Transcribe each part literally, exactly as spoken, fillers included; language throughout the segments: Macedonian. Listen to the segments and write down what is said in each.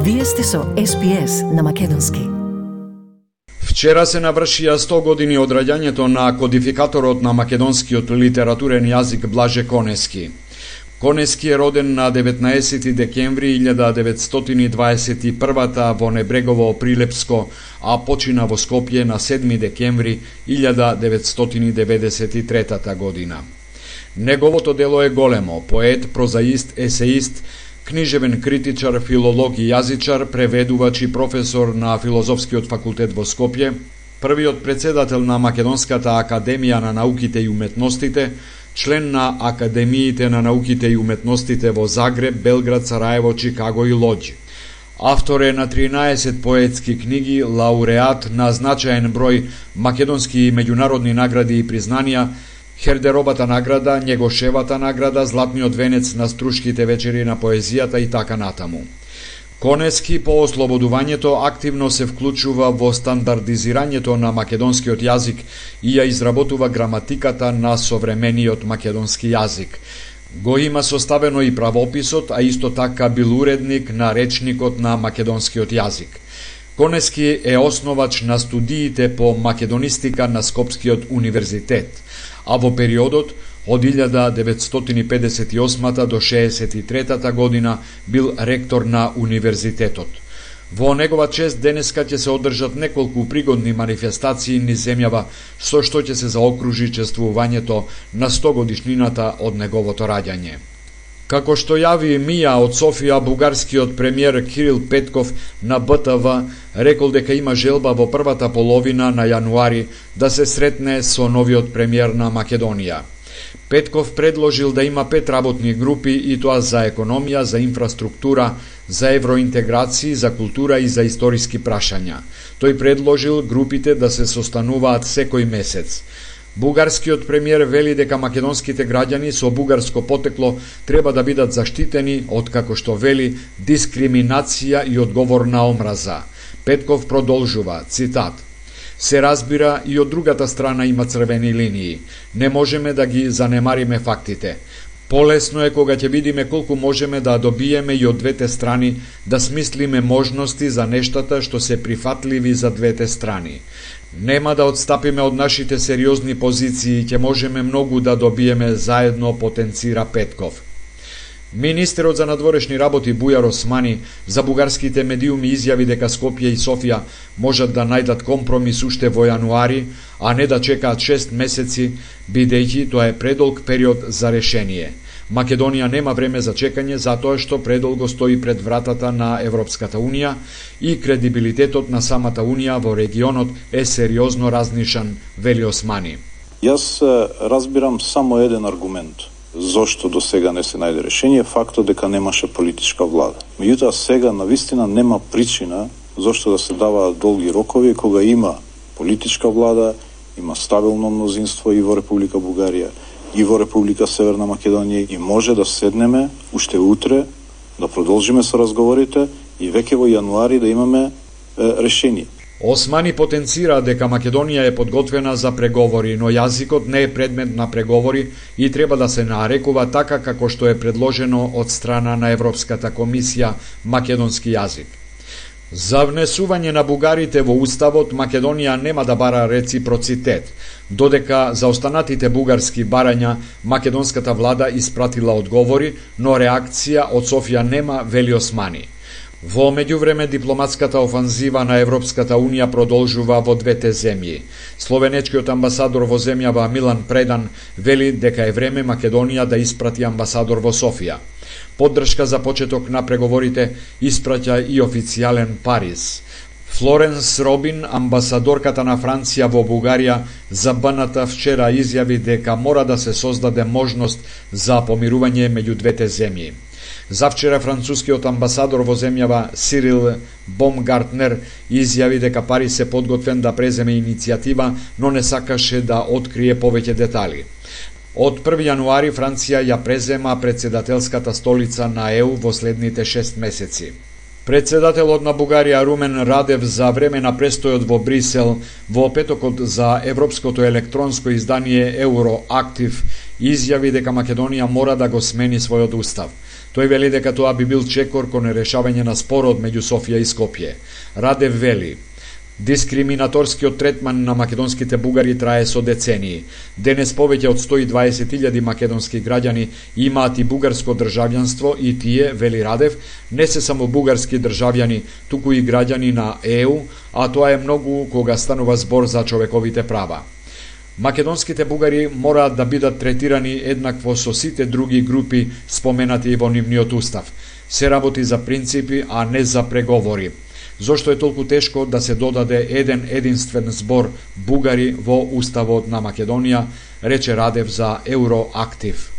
Вие сте со Ес Би Ес на македонски. Вчера се навршија сто години од раѓањето на кодификаторот на македонскиот литературен јазик Блаже Конески. Конески е роден на деветнаесети декември илјада деветстотини дваесет и прва во Небрегово Прилепско, а почина во Скопје на седми декември илјада деветстотини деветдесет и трета година. Неговото дело е големо: поет, прозаист, есеист, книжевен критичар, филолог и јазичар, преведувач и професор на Филозофскиот факултет во Скопје, првиот председател на Македонската академија на науките и уметностите, член на Академиите на науките и уметностите во Загреб, Белград, Сараево, Чикаго и Лоџ. Автор е на тринаесет поетски книги, лауреат на значаен број македонски и меѓународни награди и признанија, Хердеробата награда, Негошевата награда, Златниот венец на Струшките вечери на поезијата и така натаму. Конески по ослободувањето активно се вклучува во стандардизирањето на македонскиот јазик и ја изработува граматиката на современиот македонски јазик. Го има составено и правописот, а исто така бил уредник на речникот на македонскиот јазик. Конески е основач на студиите по македонистика на Скопскиот универзитет, а во периодот од илјада деветстотини педесет и осма до шеесет и трета година бил ректор на универзитетот. Во негова чест денеска ќе се одржат неколку пригодни манифестации низ земјава, со што ќе се заокружи чествувањето на сто годишнината од неговото раѓање. Како што јави Мија од Софија, бугарскиот премиер Кирил Петков на Б Т В рекол дека има желба во првата половина на јануари да се сретне со новиот премиер на Македонија. Петков предложил да има пет работни групи, и тоа за економија, за инфраструктура, за евроинтеграција, за култура и за историски прашања. Тој предложил групите да се состануваат секој месец. Бугарскиот премиер вели дека македонските граѓани со бугарско потекло треба да бидат заштитени од, како што вели, дискриминација и одговор на омраза. Петков продолжува, цитат: "Се разбира, и од другата страна има црвени линии. Не можеме да ги занемариме фактите. Полесно е кога ќе видиме колку можеме да добиеме и од двете страни, да смислиме можности за нештата што се прифатливи за двете страни. Нема да отстапиме од нашите сериозни позиции, ќе можеме многу да добиеме заедно", потенцира Петков. Министерот за надворешни работи Бујар Османи за бугарските медиуми изјави дека Скопје и Софија можат да најдат компромис уште во јануари, а не да чекаат шест месеци, бидејќи тоа е предолг период за решение. Македонија нема време за чекање, затоа што предолго стои пред вратата на Европската Унија и кредибилитетот на самата Унија во регионот е сериозно разнишан, вели Османи. Јас разбирам само еден аргумент зошто до сега не се најде решение, фактот дека немаше политичка влада. Меѓутоа сега навистина нема причина зошто да се даваат долги рокови кога има политичка влада, има стабилно мнозинство и во Република Бугарија, и во Република Северна Македонија, и може да седнеме уште утре, да продолжиме со разговорите и веќе во јануари да имаме е, решение. Османи потенцира дека Македонија е подготвена за преговори, но јазикот не е предмет на преговори и треба да се нарекува така како што е предложено од страна на Европската комисија македонски јазик. За внесување на бугарите во уставот, Македонија нема да бара реципроцитет, додека за останатите бугарски барања македонската влада испратила одговори, но реакција од Софија нема, вели Османи. Во меѓувреме дипломатската офанзива на Европската Унија продолжува во двете земји. Словенечкиот амбасадор во земјава Милан Предан вели дека е време Македонија да испрати амбасадор во Софија. Поддршка за почеток на преговорите испраќа и официјален Париз. Флоренс Робин, амбасадорката на Франција во Бугарија, за Б Н Т вчера изјави дека мора да се создаде можност за помирување меѓу двете земји. Завчера францускиот амбасадор во земјава Сирил Бомгартнер изјави дека Париз се подготвен да преземе иницијатива, но не сакаше да открие повеќе детали. Од први јануари Франција ја презема председателската столица на Е У во следните шест месеци. Председателот на Бугарија Румен Радев за време на престојот во Брисел во петокот за европското електронско издание Евроактив изјави дека Македонија мора да го смени својот устав. Тој вели дека тоа би бил чекор кон решавање на спорот меѓу Софија и Скопје. Радев вели: дискриминаторскиот третман на македонските бугари трае со децении. Денес повеќе од сто и дваесет илјади македонски граѓани имаат и бугарско државјанство и тие, вели Радев, не се само бугарски државјани, туку и граѓани на Е У, а тоа е многу кога станува збор за човековите права. Македонските бугари мораат да бидат третирани еднакво со сите други групи споменати во нивниот устав. Се работи за принципи, а не за преговори. Зошто е толку тешко да се додаде еден единствен збор бугари во уставот на Македонија, рече Радев за Евроактив.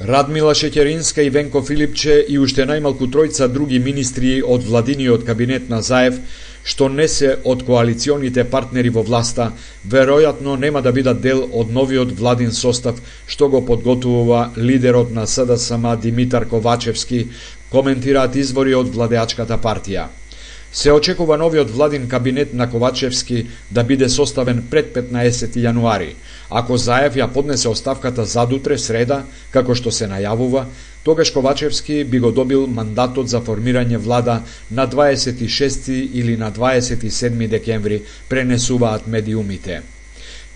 Радмила Шеќеринска и Венко Филипче и уште најмалку тројца други министри од владиниот кабинет на Заев, што не се од коалиционите партнери во власта, веројатно нема да бидат дел од новиот владин состав што го подготвува лидерот на С Д С М Димитар Ковачевски, коментираат извори од владеачката партија. Се очекува новиот владин кабинет на Ковачевски да биде составен пред петнаесети јануари. Ако Заев ја поднесе оставката задутре, среда, како што се најавува, тогаш Ковачевски би го добил мандатот за формирање влада на дваесет и шести или на дваесет и седми декември, пренесуваат медиумите.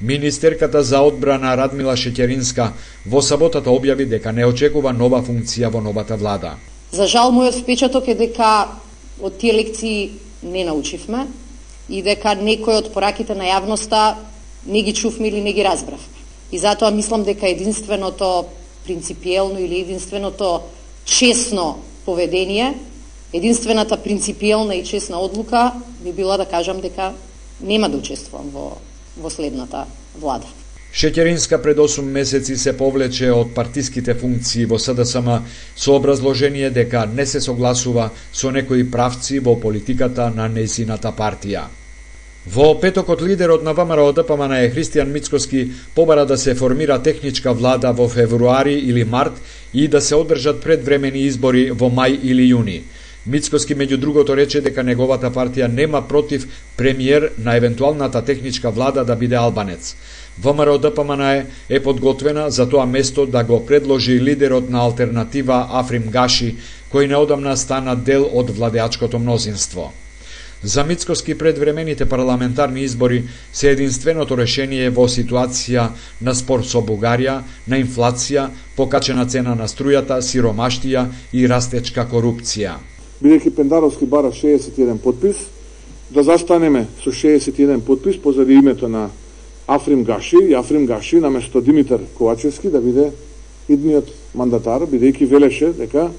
Министерката за одбрана Радмила Шеќеринска во саботата објави дека не очекува нова функција во новата влада. За жал, мојот впечаток е дека од тие лекции не научивме и дека некои од пораките на јавноста не ги чувме или не ги разбравме. И затоа мислам дека единственото принципиелно или единственото честно поведение, единствената принципиелна и честна одлука би била да кажам дека нема да учествувам во, во следната влада. Шеќеринска пред осум месеци се повлече од партиските функции во С Д С М со образложение дека не се согласува со некои правци во политиката на нејзината партија. Во петокот лидерот на Вэ М Р О Д П М Н Е Христијан Мицкоски побара да се формира техничка влада во февруари или март и да се одржат предвремени избори во мај или јуни. Мицкоски меѓу другото рече дека неговата партија нема против премиер на евентуалната техничка влада да биде албанец. Вэ М Р О Д П М Н Е е подготвена за тоа место да го предложи лидерот на алтернатива Африм Гаши, кој неодамна стана дел од владеачкото мнозинство. За Мицкоски предвремените парламентарни избори се единственото решение во ситуација на спор со Бугарија, на инфлација, покачена цена на струјата, сиромаштија и растечка корупција. Бидејќи Пендаровски бара шеесет и еден подпис, да застанеме со шеесет и еден подпис позади името на Африм Гаши и Африм Гаши наместо Димитар Ковачевски да биде идниот мандатар, бидејќи велеше дека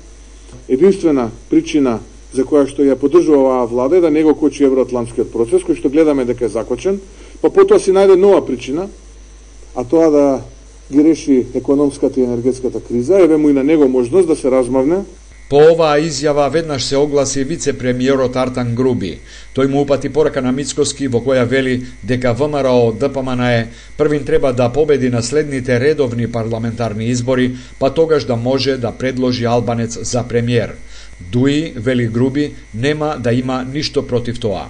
единствена причина за која што ја поддржува оваа влада е да не го кочи евроатлантскиот процес, кој што гледаме дека е закочен, па потоа си најде нова причина, а тоа да ги реши економската и енергетската криза, еве му и на него можност да се размавне. По оваа изјава веднаш се огласи вице-премиерот Артан Груби. Тој му упати порака на Мицкоски во која вели дека Вэ М Р О Д П М Н Е првин треба да победи на следните редовни парламентарни избори, па тогаш да може да предложи албанец за премиер. Дуи, вели Груби, нема да има ништо против тоа.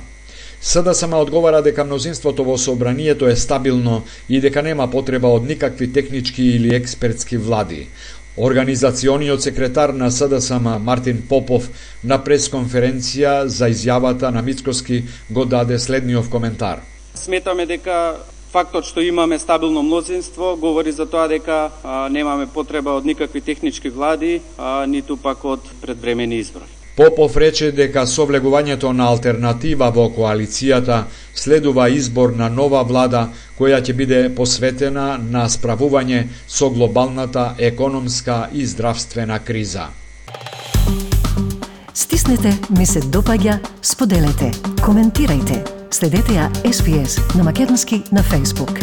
С Д С М одговара дека мнозинството во собранието е стабилно и дека нема потреба од никакви технички или експертски влади. Организациониот секретар на С Д С М Мартин Попов на пресконференција за изјавата на Мицкоски го даде следниот коментар. Сметаме дека фактот што имаме стабилно мнозинство говори за тоа дека а, немаме потреба од никакви технички влади, а, ниту пак од предвремени избори. Попов рече дека со влегувањето на алтернатива во коалицијата следува избор на нова влада која ќе биде посветена на справување со глобалната економска и здравствена криза. Стиснете, ми се допаѓа, споделете, коментирајте. Следете ја Ес Би Ес на македонски на Facebook.